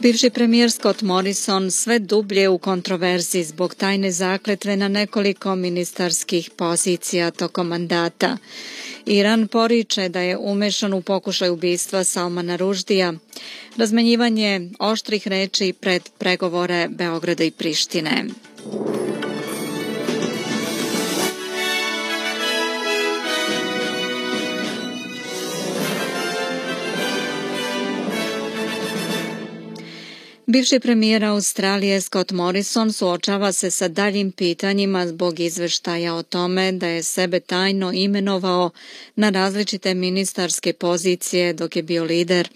Bivši premijer Scott Morrison sve dublje u kontroverziji zbog tajne zakletve na nekoliko ministarskih pozicija tokom mandata. Iran poriče da je umešan u pokušaj ubistva Salmana Rushdija. Razmenjivanje oštrih reči pred pregovore Beograda i Prištine. Bivši premijer Australije Scott Morrison suočava se sa daljim pitanjima zbog izveštaja o tome da je sebe tajno imenovao na različite ministarske pozicije dok je bio lider.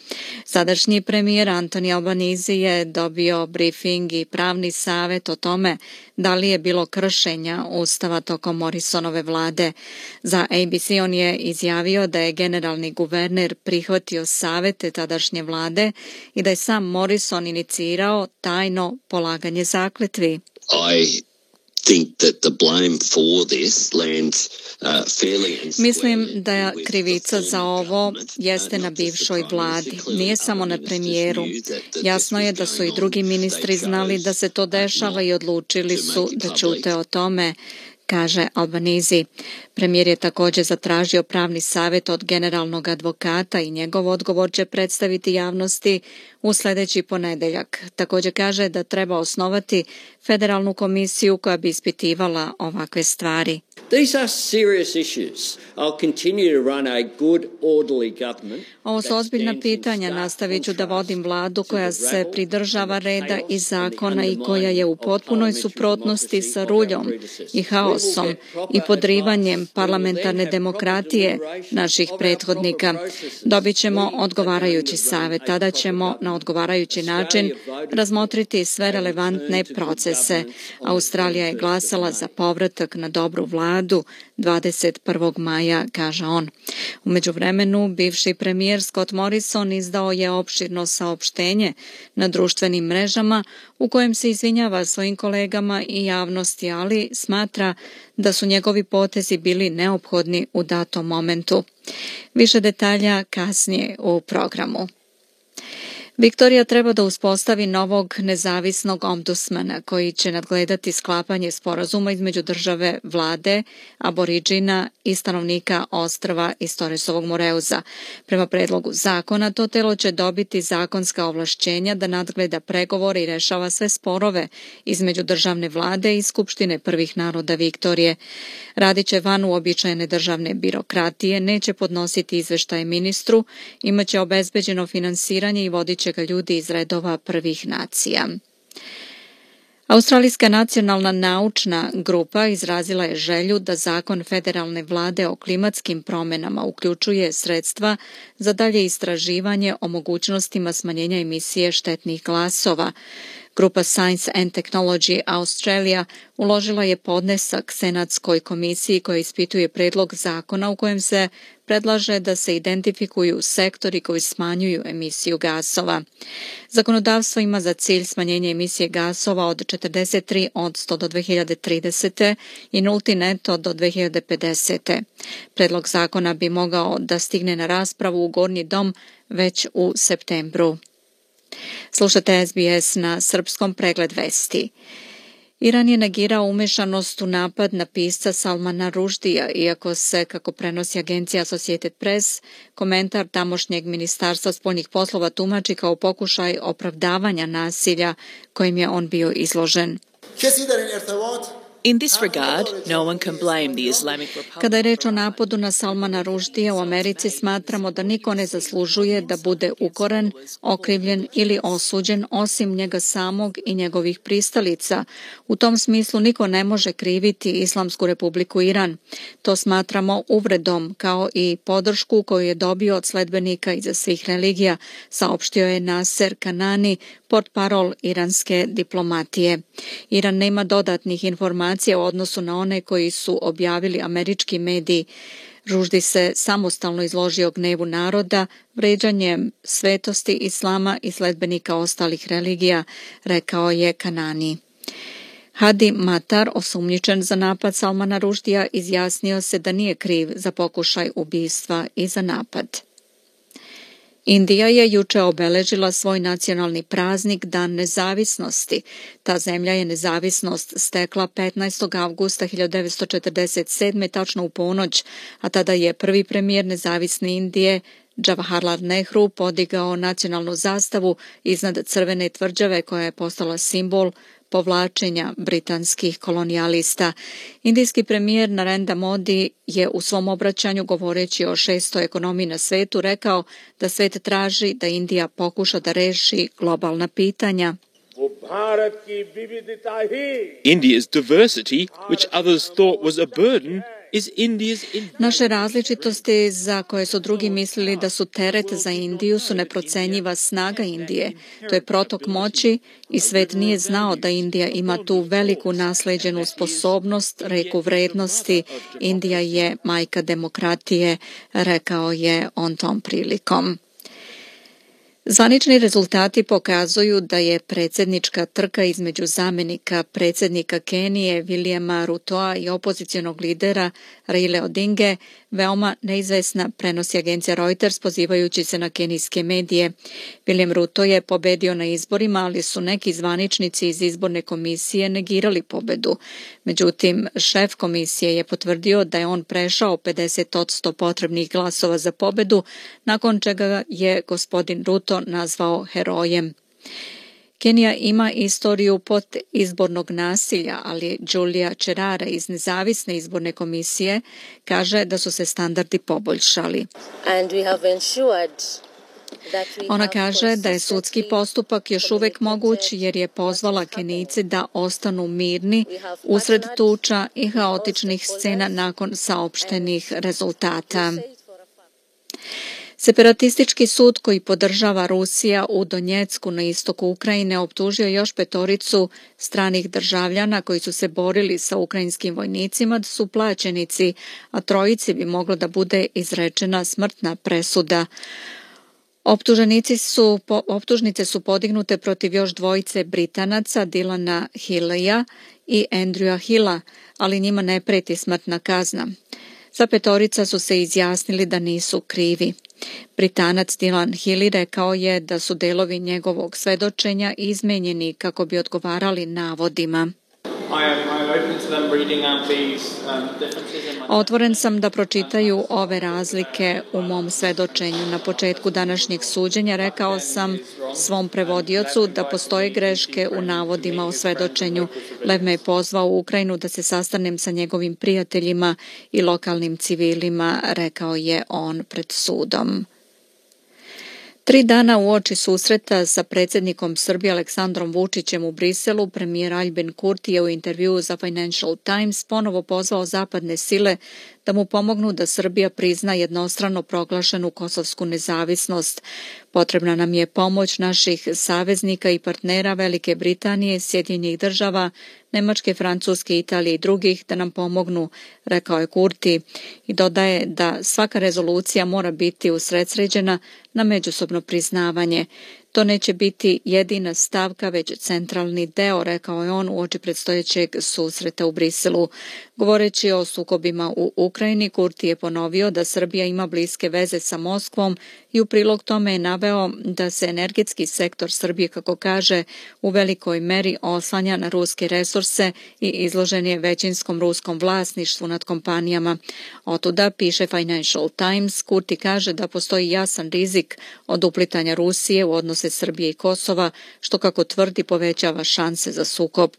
Sadašnji premijer Anthony Albanese je dobio brifing i pravni savjet o tome da li je bilo kršenja Ustava tokom Morrisonove vlade. Za ABC on je izjavio da je generalni guverner prihvatio savjete tadašnje vlade i da je sam Morrison inicirao tajno polaganje zakletvi. Mislim da krivica za ovo jeste na bivšoj vladi, nije samo na premijeru. Jasno je da su i drugi ministri znali da se to dešava i odlučili su da ćute o tome, kaže Albanese. Premijer je također zatražio pravni savjet od generalnog advokata i njegov odgovor će predstaviti javnosti u sljedeći ponedeljak. Također kaže da treba osnovati federalnu komisiju koja bi ispitivala ovakve stvari. Ovo su ozbiljna pitanja. Nastavit ću da vodim vladu koja se pridržava reda i zakona i koja je u potpunoj suprotnosti sa ruljom i haosom i podrivanjem parlamentarne demokratije naših prethodnika. Dobit ćemo odgovarajući savjet. Tada ćemo na odgovarajući način razmotriti sve relevantne procese. Australija je glasala za povratak na dobru vladu 21. maja, kaže on. U međuvremenu, bivši premijer Scott Morrison izdao je opširno saopštenje na društvenim mrežama u kojem se izvinjava svojim kolegama i javnosti, ali smatra da su njegovi potezi bili neophodni u datom momentu. Više detalja kasnije u programu. Viktorija treba da uspostavi novog nezavisnog ombudsmana koji će nadgledati sklapanje sporazuma između države, vlade, aboriđina i stanovnika ostrva iz Torresovog Moreuza. Prema predlogu zakona, to telo će dobiti zakonska ovlašćenja da nadgleda pregovore i rešava sve sporove između državne vlade i Skupštine prvih naroda Viktorije. Radit će van uobičajene državne birokratije, neće podnositi izveštaje ministru, imaće obezbeđeno finansiranje i vodit će ga ljudi iz redova prvih nacija. Australijska nacionalna naučna grupa izrazila je želju da zakon federalne vlade o klimatskim promjenama uključuje sredstva za dalje istraživanje o mogućnostima smanjenja emisije štetnih gasova. Grupa Science and Technology Australia uložila je podnesak Senatskoj komisiji koja ispituje predlog zakona u kojem se predlaže da se identifikuju sektori koji smanjuju emisiju gasova. Zakonodavstvo ima za cilj smanjenje emisije gasova od 43% do 2030. i nulti neto do 2050. Predlog zakona bi mogao da stigne na raspravu u Gornji dom već u septembru. Slušate SBS na srpskom, pregled vesti. Iran je negirao umešanost u napad na pisca Salmana Rushdija, iako se, kako prenosi agencija Associated Press, komentar tamošnjeg ministarstva spoljnih poslova tumači kao pokušaj opravdavanja nasilja kojim je on bio izložen. In this regard, no one can blame the Islamic Republic. Kada je reč o napadu na Salmana Rushdija u Americi, smatramo da niko ne zaslužuje da bude ukoren, okrivljen ili osuđen osim njega samog i njegovih pristalica. U tom smislu niko ne može kriviti Islamsku republiku Iran. To smatramo uvredom kao i podršku koju je dobio od sledbenika iza svih religija, saopštio je Naser Kanani, portparol iranske diplomatije. Iran nema dodatnih informacija u odnosu na one koji su objavili američki mediji. Rushdie se samostalno izložio gnevu naroda, vređanjem svetosti islama i sledbenika ostalih religija, rekao je Kanani. Hadi Matar, osumnjičen za napad Salmana Rushdija, izjasnio se da nije kriv za pokušaj ubistva i za napad. Indija je juče obeležila svoj nacionalni praznik Dan nezavisnosti. Ta zemlja je nezavisnost stekla 15. avgusta 1947. tačno u ponoć, a tada je prvi premijer nezavisne Indije Jawaharlal Nehru podigao nacionalnu zastavu iznad crvene tvrđave koja je postala simbol povlačenja britanskih kolonijalista. Indijski premijer Narendra Modi je u svom obraćanju, govoreći o 6. ekonomiji na svetu, rekao da svet traži da Indija pokuša da reši globalna pitanja. India's diversity, which others thought was a burden, Naše različitosti za koje su drugi mislili da su teret za Indiju su neprocenjiva snaga Indije. To je protok moći i svet nije znao da Indija ima tu veliku nasleđenu sposobnost, reku vrednosti. Indija je majka demokratije, rekao je on tom prilikom. Zvanični rezultati pokazuju da je predsjednička trka između zamenika predsjednika Kenije Williama Rutoa i opozicionog lidera Raile Odinge veoma neizvesna, prenosi agencija Reuters pozivajući se na kenijske medije. William Ruto je pobedio na izborima, ali su neki zvaničnici iz izborne komisije negirali pobedu. Međutim, šef komisije je potvrdio da je on prešao 50% potrebnih glasova za pobedu, nakon čega je gospodin Ruto nazvao herojem. Kenija ima istoriju izbornog nasilja, ali Julia Cherara iz nezavisne izborne komisije kaže da su se standardi poboljšali. Ona kaže da je sudski postupak još uvek moguć jer je pozvala Kenijce da ostanu mirni usred tuča i haotičnih scena nakon saopštenih rezultata. Separatistički sud koji podržava Rusija u Donjecku na istoku Ukrajine optužio još 5 stranih državljana koji su se borili sa ukrajinskim vojnicima da su plaćenici, a 3 bi moglo da bude izrečena smrtna presuda. Optužnice su podignute protiv još 2 Britanaca, Dylana Hilleya i Andrewa Hilla, ali njima ne preti smrtna kazna. Sva 5 su se izjasnili da nisu krivi. Britanac Dylan Healey rekao je da su delovi njegovog svedočenja izmenjeni kako bi odgovarali navodima. Otvoren sam da pročitaju ove razlike u mom svedočenju. Na početku današnjeg suđenja rekao sam svom prevodiocu da postoje greške u navodima o svedočenju. Lev me je pozvao u Ukrajinu da se sastanem sa njegovim prijateljima i lokalnim civilima, rekao je on pred sudom. 3 dana uoči susreta sa predsjednikom Srbije Aleksandrom Vučićem u Briselu, premijer Aljbin Kurti je u intervjuu za Financial Times ponovo pozvao zapadne sile da mu pomognu da Srbija prizna jednostrano proglašenu kosovsku nezavisnost. Potrebna nam je pomoć naših saveznika i partnera Velike Britanije, Sjedinjenih Država, Nemačke, Francuske, Italije i drugih da nam pomognu, rekao je Kurti, i dodaje da svaka rezolucija mora biti usredsređena na međusobno priznavanje. To neće biti jedina stavka, već centralni deo, rekao je on uoči predstojećeg susreta u Briselu. Govoreći o sukobima u Ukrajini, Kurti je ponovio da Srbija ima bliske veze sa Moskvom i u prilog tome je naveo da se energetski sektor Srbije, kako kaže, u velikoj meri oslanja na ruske resurse i izložen je većinskom ruskom vlasništvu nad kompanijama. Otuda, piše Financial Times, Kurti kaže da postoji jasan rizik od uplitanja Rusije u odnose Srbije i Kosova, što, kako tvrdi, povećava šanse za sukob.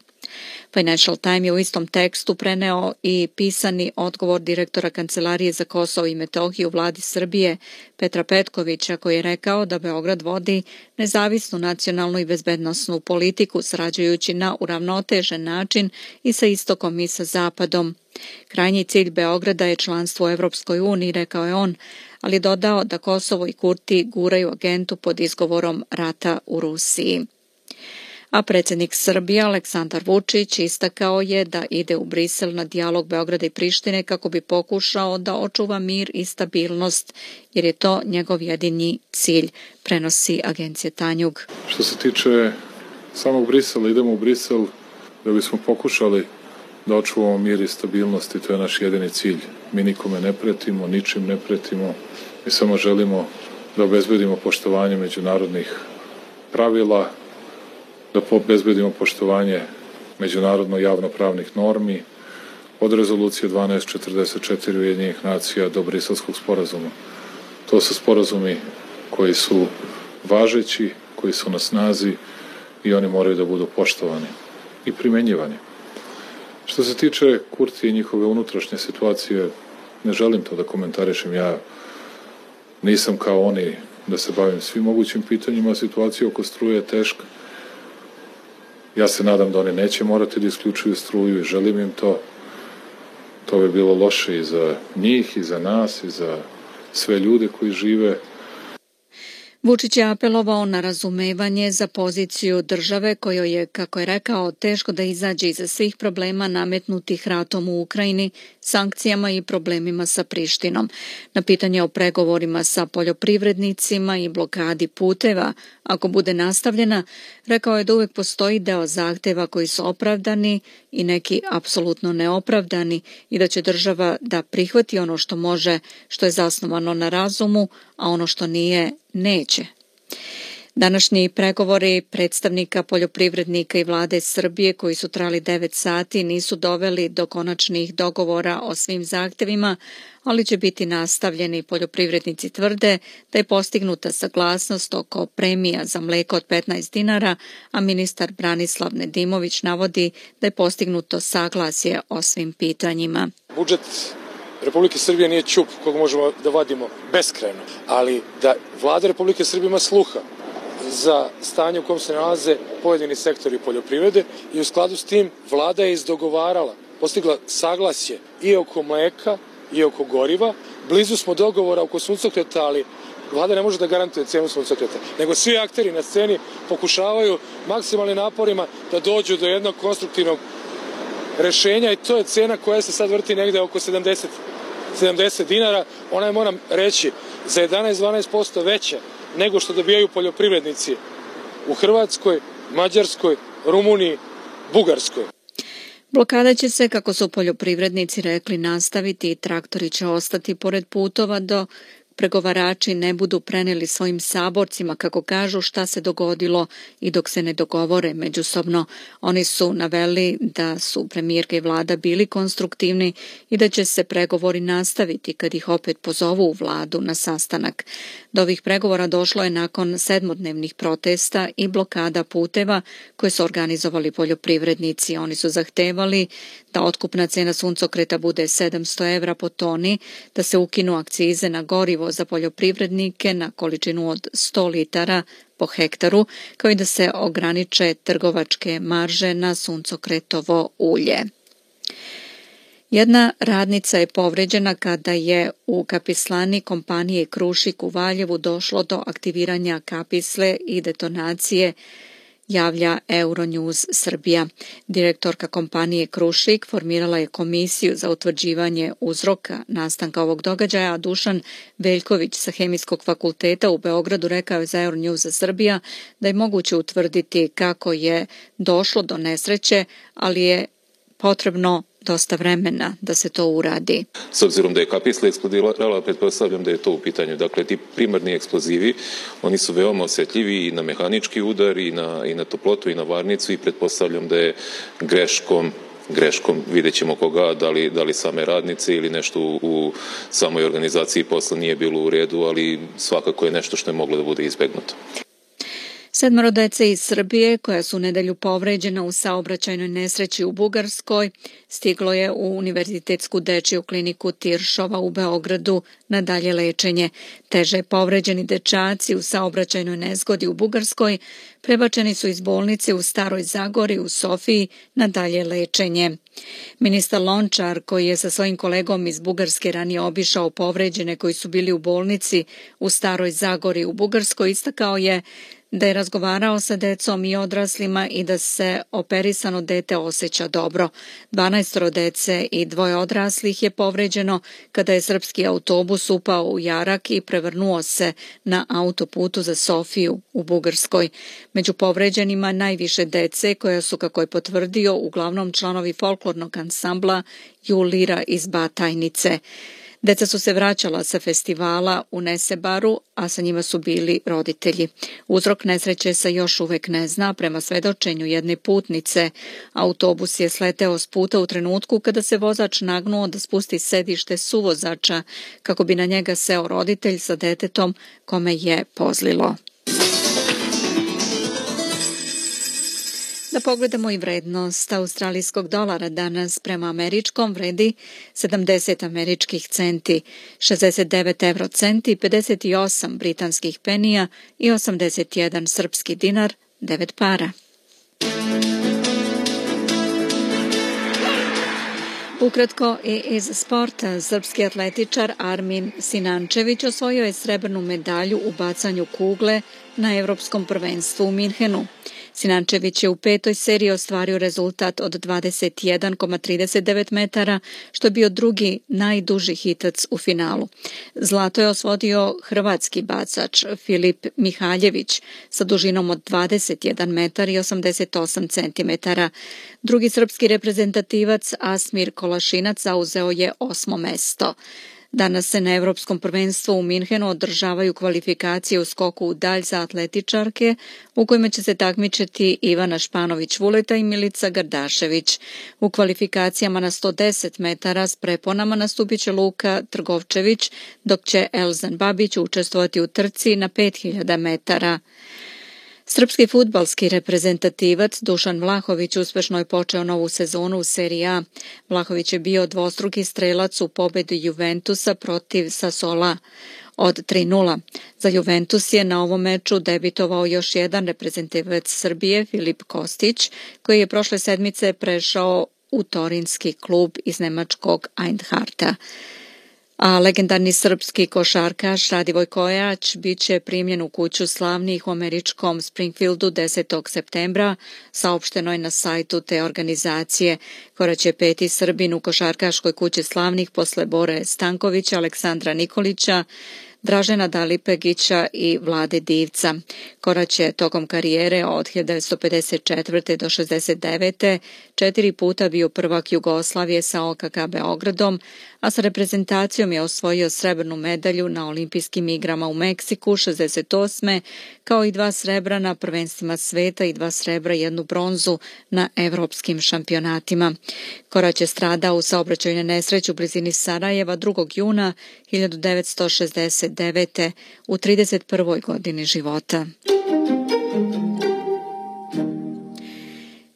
Financial Times je u istom tekstu preneo i pisani odgovor direktora Kancelarije za Kosovo i Metohiju u vladi Srbije Petra Petkovića, koji je rekao da Beograd vodi nezavisnu nacionalnu i bezbednosnu politiku sarađujući na uravnotežen način i sa istokom i sa zapadom. Krajnji cilj Beograda je članstvo u Evropskoj uniji, rekao je on, ali dodao da Kosovo i Kurti guraju agentu pod izgovorom rata u Rusiji. A predsjednik Srbije Aleksandar Vučić istakao je da ide u Brisel na dijalog Beograda i Prištine kako bi pokušao da očuva mir i stabilnost, jer je to njegov jedini cilj, prenosi agencija Tanjug. Što se tiče samog Brisela, idemo u Brisel da bismo pokušali da očuvamo mir i stabilnost i to je naš jedini cilj. Mi nikome ne pretimo, ničim ne pretimo, mi samo želimo da obezbedimo poštovanje međunarodnih pravila, da obezbedimo poštovanje međunarodno javnopravnih normi, od rezolucije 1244 Ujedinjenih nacija do Briselskog sporazuma. To su sporazumi koji su važeći, koji su na snazi i oni moraju da budu poštovani i primenjivani. Što se tiče Kurtija i njihove unutrašnje situacije, ne želim to da komentarišem. Ja nisam kao oni da se bavim svim mogućim pitanjima, situacija oko struje je teška. Ja se nadam da oni neće morati da isključuju struju i želim im to. To bi bilo loše i za njih, i za nas, i za sve ljude koji žive. Vučić je apelovao na razumevanje za poziciju države kojoj je, kako je rekao, teško da izađe iza svih problema nametnutih ratom u Ukrajini, sankcijama i problemima sa Prištinom. Na pitanje o pregovorima sa poljoprivrednicima i blokadi puteva, ako bude nastavljena, rekao je da uvek postoji deo zahteva koji su opravdani i neki apsolutno neopravdani i da će država da prihvati ono što može, što je zasnovano na razumu, a ono što nije, neće. Današnji pregovori predstavnika poljoprivrednika i vlade Srbije koji su trajali 9 sati nisu doveli do konačnih dogovora o svim zahtevima, ali će biti nastavljeni. Poljoprivrednici tvrde da je postignuta saglasnost oko premija za mleko od 15 dinara, a ministar Branislav Nedimović navodi da je postignuto saglasje o svim pitanjima. Budžet Republike Srbije nije ćup kog možemo da vadimo beskrajno, ali da vlada Republike Srbije ima sluha za stanje u kojem se nalaze pojedini sektori poljoprivrede i u skladu s tim vlada je izdogovarala, postigla saglasje i oko mleka i oko goriva. Blizu smo dogovora oko suncokreta, ali vlada ne može da garantuje cenu suncokreta, nego svi akteri na sceni pokušavaju maksimalnim naporima da dođu do jednog konstruktivnog rešenja i to je cena koja se sad vrti negde oko 70 dinara. Ona je, moram reći, za 11-12% veća nego što dobijaju poljoprivrednici u Hrvatskoj, Mađarskoj, Rumuniji, Bugarskoj. Blokada će se, kako su poljoprivrednici rekli, nastaviti i traktori će ostati pored putova dok pregovarači ne budu preneli svojim saborcima, kako kažu, šta se dogodilo i dok se ne dogovore međusobno. Oni su naveli da su premijerka i vlada bili konstruktivni i da će se pregovori nastaviti kad ih opet pozovu u vladu na sastanak. Do ovih pregovora došlo je nakon 7-dnevnih protesta i blokada puteva koje su organizovali poljoprivrednici. Oni su zahtevali da otkupna cena suncokreta bude 700 evra po toni, da se ukinu akcize na gorivo za poljoprivrednike na količinu od 100 litara po hektaru, kao i da se ograniče trgovačke marže na suncokretovo ulje. Jedna radnica je povređena kada je u kapislani kompanije Krušik u Valjevu došlo do aktiviranja kapisle i detonacije, javlja Euronews Srbija. Direktorka kompanije Krušik formirala je komisiju za utvrđivanje uzroka nastanka ovog događaja, a Dušan Veljković sa Hemijskog fakulteta u Beogradu rekao je za Euronews Srbija da je moguće utvrditi kako je došlo do nesreće, ali je potrebno dosta vremena da se to uradi. S obzirom da je kapisla eksplodirala, pretpostavljam da je to u pitanju. Dakle, ti primarni eksplozivi, oni su veoma osjetljivi i na mehanički udar, i na toplotu, i na varnicu, i pretpostavljam da je greškom, vidjet ćemo koga, da li same radnice ili nešto u samoj organizaciji posla nije bilo u redu, ali svakako je nešto što je moglo da bude izbegnuto. 7 dece iz Srbije, koja su u nedelju povređena u saobraćajnoj nesreći u Bugarskoj, stiglo je u Univerzitetsku dečiju kliniku Tiršova u Beogradu na dalje lečenje. Teže povređeni dečaci u saobraćajnoj nezgodi u Bugarskoj prebačeni su iz bolnice u Staroj Zagori u Sofiji na dalje lečenje. Ministar Lončar, koji je sa svojim kolegom iz Bugarske ranije obišao povređene koji su bili u bolnici u Staroj Zagori u Bugarskoj, istakao je da je razgovarao sa decom i odraslima i da se operisano dete osjeća dobro. 12 dece i 2 odraslih je povređeno kada je srpski autobus upao u jarak i prevrnuo se na autoputu za Sofiju u Bugarskoj. Među povređenima najviše dece koja su, kako je potvrdio, uglavnom članovi folklornog ansambla Julira iz Batajnice. Deca su se vraćala sa festivala u Nesebaru, a sa njima su bili roditelji. Uzrok nesreće se još uvek ne zna. Prema svedočenju jedne putnice, autobus je sleteo s puta u trenutku kada se vozač nagnuo da spusti sedište suvozača kako bi na njega seo roditelj sa detetom kome je pozlilo. Da pogledamo i vrednost australijskog dolara danas prema američkom vredi 70 američkih centi, 69 eurocenti, 58 britanskih penija i 81 srpski dinar, 9 para. Ukratko i iz sporta, srpski atletičar Armin Sinančević osvojio je srebrnu medalju u bacanju kugle na Evropskom prvenstvu u Minhenu. Sinančević je u 5. seriji ostvario rezultat od 21,39 metara, što je bio drugi najduži hitac u finalu. Zlato je osvodio hrvatski bacač Filip Mihaljević sa dužinom od 21 metar i 88 centimetara. Drugi srpski reprezentativac Asmir Kolašinac zauzeo je 8. mesto. Danas se na Evropskom prvenstvu u Minhenu održavaju kvalifikacije u skoku u dalj za atletičarke u kojima će se takmičiti Ivana Španović-Vuleta i Milica Gardašević. U kvalifikacijama na 110 metara s preponama nastupit će Luka Trgovčević, dok će Elzan Babić učestvovati u trci na 5000 metara. Srpski fudbalski reprezentativac Dušan Vlahović uspešno je počeo novu sezonu u Seriji A. Vlahović je bio dvostruki strelac u pobedi Juventusa protiv Sassuola od 3:0. Za Juventus je na ovom meču debitovao još jedan reprezentativac Srbije, Filip Kostić, koji je prošle sedmice prešao u torinski klub iz nemačkog Einharta. A legendarni srpski košarkaš Radivoj Kojač bit će primljen u kuću slavnih u američkom Springfieldu 10. septembra, saopšteno je na sajtu te organizacije. Korać je 5. Srbin u košarkaškoj kući slavnih posle Bore Stankovića, Aleksandra Nikolića, Dražena Dalipegića i Vlade Divca. Korać je tokom karijere od 1954. do 69. 4 puta bio prvak Jugoslavije sa OKK Beogradom, a sa reprezentacijom je osvojio srebrnu medalju na olimpijskim igrama u Meksiku 68. kao i 2 srebra na prvenstvima sveta i 2 srebra i 1 bronzu na evropskim šampionatima. Korać je stradao u saobraćajnoj nesreći u blizini Sarajeva 2. juna 1969. u 31. godini života.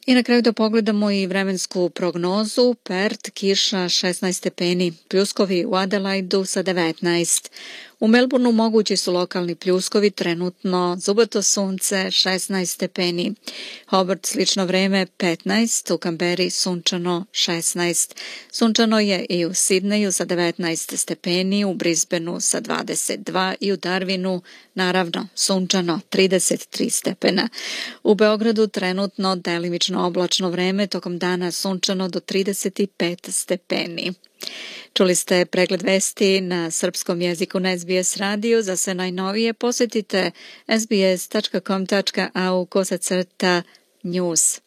I na kraju da pogledamo i vremensku prognozu. Perth, kiša 16 stepeni, pljuskovi u Adelaidu sa 19. U Melbourneu mogući su lokalni pljuskovi, trenutno zubato sunce 16 stepeni. Hobart slično vreme 15, u Kamberi sunčano 16. Sunčano je i u Sidneju sa 19 stepeni, u Brisbaneu sa 22 i u Darwinu naravno sunčano 33 stepena. U Beogradu trenutno delimično oblačno vreme, tokom dana sunčano do 35 stepeni. Čuli ste pregled vesti na srpskom jeziku na SBS radiju. Za sve najnovije posjetite sbs.com.au/news.